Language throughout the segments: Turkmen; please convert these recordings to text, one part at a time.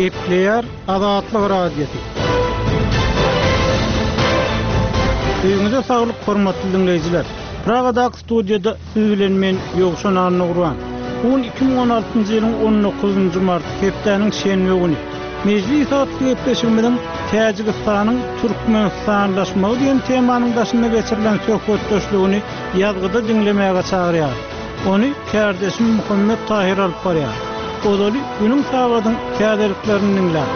Gepleýär Azatlyk Radiosy. Öýüňize saglyk hormatly diňleýjiler. Pragadaky studiýada siz bilen men Ýowşan Annagurban. Bu gün 2016-njy ýylyň 19-njy marty, hepdäniň şenbe güni. Mejlis atly gepleşigimiziň Täjigistanyň türkmenistanlaşmagy diýen temanyň daşynda geçirilen söhbetdeşligini ýazgyda diňlemäge çagyrýarys. Ony kärdeşim Muhammet Tahyr alyp barýar. Ozaly günüň sagadyň täzeliklerini diňläň.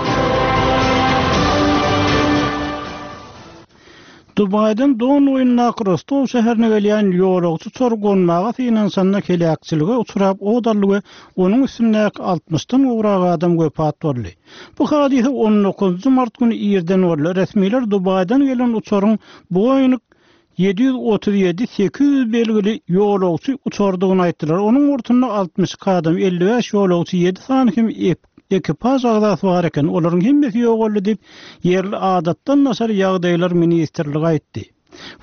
Dubaýdan Don boýundaky Rostow şäherine gelýän ýolagçy uçary gonmaga synanyşanda heläkçilige uçrap ot aldy we onuň üstündäki altmyşdan gowrak adam wepat boldy. Bu hadysa on dokuzynjy mart güni irden boldy. Resmiler Dubaýdan gelen uçaryň Boeing 737 800 belgili ýolagçy uçardygyny aýtdylar. Onuň bortunda 62 adam, 55 ýolagçy, ýedi sany hem ekipaž agzasy bar eken. Olaryň hemmesi ýogaldy diýip, ýerli Adatdan daşary ýagdaýlar ministrligi aýtdy.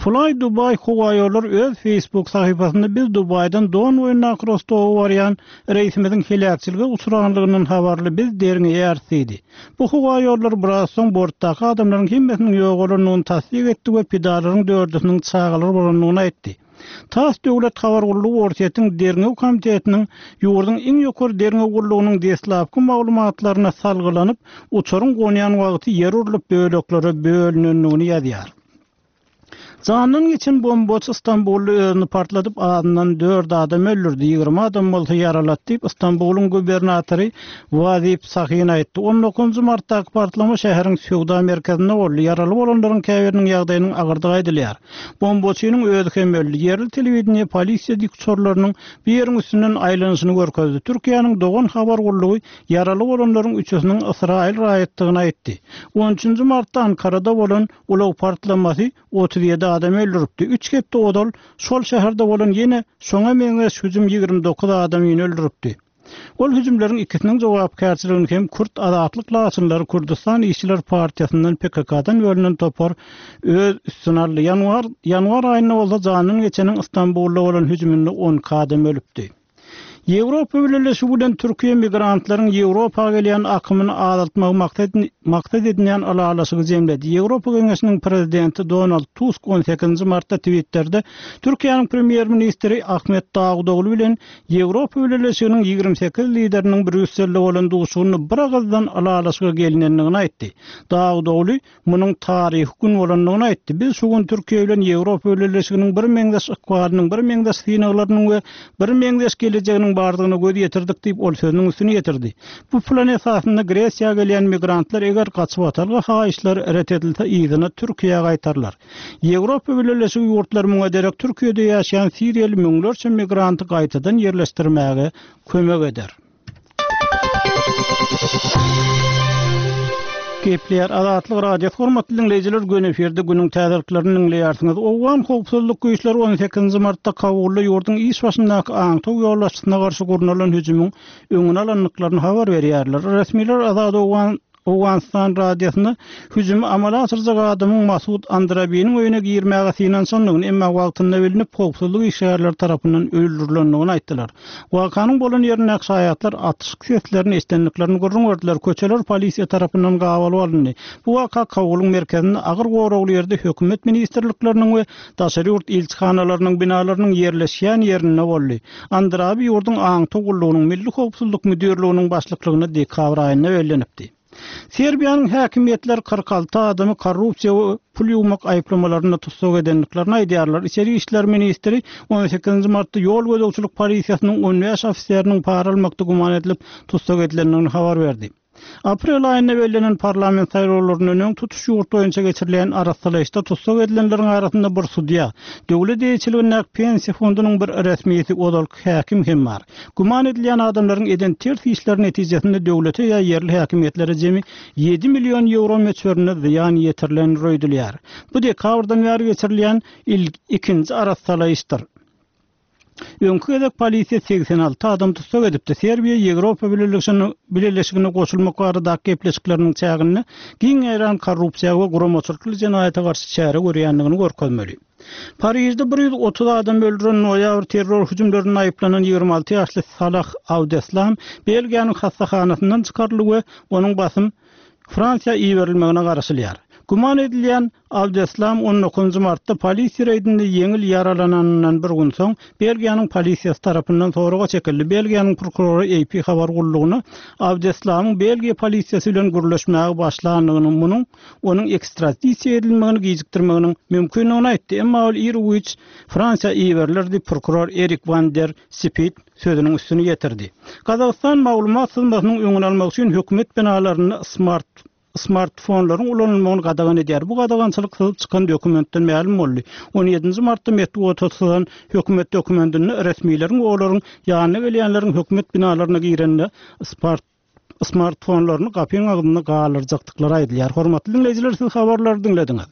Fly Dubai howaýollary öz Facebook sahypasynda biz Dubaýdan Don boýundaky Rostowa barýan reýsimiziň heläkçilige uçranlygyndan habarly, biz derňeýäris diýdi. Bu howa ýollary biraz soň bortdaky adamlaryň hemmesiniň ýogalandygyny tassyk etdi we pidalaryň dördüsiniň çagalar bolandygyny aýtdy. Tass döwlet habar gullugy Orsýetiň Derňew komitetiniň ýurduň iň ýokary derňew gullugynyň deslapky maglumatlaryna salgylanyp, uçaryň gonýan wagty ýer urlup böleklere bölünendigini ýazýar. Jandan geçen bombaçy Stambulda özüni partladyp, azyndan dört adam öldürdi, 20 adam bolsa ýaralady diýip, Stambulyň gubernatory Wazip Sahin aýtdy. On dokuzynjy martdaky partlama şäheriň söwda merkezinde boldy. Ýaraly bolanlaryň käbiriniň ýagdaýynyň agyrdygy aýdylýar. Bombaçynyň özi hem öldi. Ýerli telewideniýe polisiýa dikuçarlarynyň bu ýeriň üstünden aýlanyşyny görkezdi. Türkiýäniň Dogan habar gullugy ýaraly bolanlaryň üçüsiniň ysraýyl raýatdygyny aýtdy. On üçünji martda Ankarada bolan Ulag partlamasy 37 adamy öldüripdi. Üç hepde ozal şol şäherde bolan ýene şoňa meňzeş hüjüm 29 adamyny öldüripdi. Ol hüjümleriň ikisiniň jogapkärçiligini hem Kürt azatlyk laçynlary Kürdüstan işçiler partiýasyndan PKK-dan bölünen topar öz üstüne aldy. Ýanwar ýanwar aýynda bolsa jandan geçeniň Stambulda bolan hüjüminde 12 adam ölüpdi. Ýewropa Bileleşigi bilen Türkiýe migrantlaryň Ýewropa gelýän akymyny azaltmagy maksat edinýän ylalaşygy jemledi. Ýewropa Geňeşiniň Prezidenti Donald Tusk on sekizinji martda Twitterde Türkiýäniň Premýer-ministri Ahmet Dawutogly bilen Ýewropa Bileleşiginiň 28 lideriniň Brýusselde bolan duşuşygynda biragyzdan ylalaşyga gelinendigini aýtdy. Dawutogly munuň taryhy gün bolandygyny aýtdy. Biz şu gün Türkiýe bilen Ýewropa Bileleşiginiň birmeňzeş ykbalynyň, birmeňzeş synaglarynyň we birmeňzeş gelejeginiň bardygyna göz ýetirdik diýip, ol sözüniň üstüni ýetirdi. Bu plan esasynda Gresiýa gelýän migrantlar eger gaçybatalga haýyşlary ret edilse yzyna Türkiýä gaýtarylar. Ýewropa Bileleşigi ýurtlary muňa derek Türkiýede ýaşaýan siriýaly müňlerçe migranty gaýtadan ýerleşdirmäge kömek eder. Gepleýär Azatlyk Radiosy hormatly diňleýjiler göni efirde günüň täzeliklerini diňleýärsiňiz. Owgan howpsuzlyk güýçleri 18-nji martda Kabulda ýurduň iş başyndaky aňtaw ýolbaşçysyna garşy gurnalan hüjümiň öňüni alandyklaryny habar berýärler. Resmiler Azat Owgan Owganystan radiosynda hüjümi amala aşyrjak adamyň Masud Andrabiniň öýüne girmäge synanyşandygyny, emma wagtynda bilnip, howpsuzlyk işgärleri tarapyndan öldürilendigini aýtdylar. Wakanyň bolan ýerindäki şaýatlar atyşyk seslerini eşidendiklerini gürrüň berdiler, köçeler polisiýa tarapyndan gabalyp alyndy. Bu waka Kabulyň merkezinde agyr goragly ýerde hökümet ministrlikleriniň we daşary ýurt ilçihanalarynyň binalarynyň ýerleşýän ýerinde boldy. Andrabi ýurduň aňtaw gullugynyň Milli howpsuzlyk müdirliginiň başlyklygyna dekabr aýynda bellenipdi. Serbiýanyň häkimiýetleri 46 adamy korrupsiýa we pul ýuwmak aýyplamalarynda tussag edendiklerini aýdýarlar. Içeri işler ministri on sekizinji martda ýol gözegçilik polisiýasynyň on bäş ofiseriniň para almakda güman edilip tussag edilendigini habar berdi. Aprel aýynda bellenen parlament saýlawlaryndan öň tutuş ýurt boýunça geçirilýän arassalaýyşda tussag edilenleriň arasynda bir sudýa, döwlet eýeçiligindäki pensiýa fondunyň bir resmisi, ozalky häkim hem bar. Güman edilýän adamlaryň eden ters işleri netijesinde döwlete ýa ýerli häkimiýetlere jemi ýedi million ýewro möçberinde zyýan ýetirilendir öýdülýär. Bu dekabrdan bäri geçirilýän ikinji arassalaýyşdyr. Öňki gezek polisiýa 86 adam tussag edipdi. Serbiýa Ýewropa Bileleşigine goşulmak baradaky gepleşikleriniň çäginde giň ýaýran korrupsiýa we guramaçylykly jenaýata garşy çäre görýändigini görkezmeli. Parižde 130 adam öldüren noýabr terror hüjümlerinde aýyplanan 26 ýaşly Salah Abdeslam Belgiýanyň hassahanasyndan çykaryldy we onuň basym Fransiýa iberilmegine garaşylýar. Güman edilýän Abdeslam on dokuzynjy martda polisiýa reýdinde ýeňil ýaralananyndan bir gün soň, Belgiýanyň polisiýasy tarapyndan soraga çekildi. Belgiýanyň prokurory AP habar gullugyna Abdeslamyň Belgiýa polisiýasy bilen gürleşmäge başlandygyny, munuň onuň ekstradisiýa edilmegini gijikdirmeginiň mümkindigini aýtdy. Emma ol iru-giç Fransiýa iberiler diýip, prokuror Erik wan der Sipit sözüniň üstüni ýetirdi. Gazagystan maglumat syzmasynyň öňüni almak üçin hökümet binalarynda smart smartfonlaryň ulanylmagyny gadagan edýär. Bu gadagançylyk syzyp çykan dokumentden mälim boldy. On ýedinji martda metbugata syzan hökümet dokumentinde resmileriň we olaryň ýanyna gelýänleriň hökümet binalaryna girende smartfonlaryny gapyň agzynda galdyrjakdyklary aýdylýar. Hormatly diňleýjiler, siz habarlary diňlediňiz.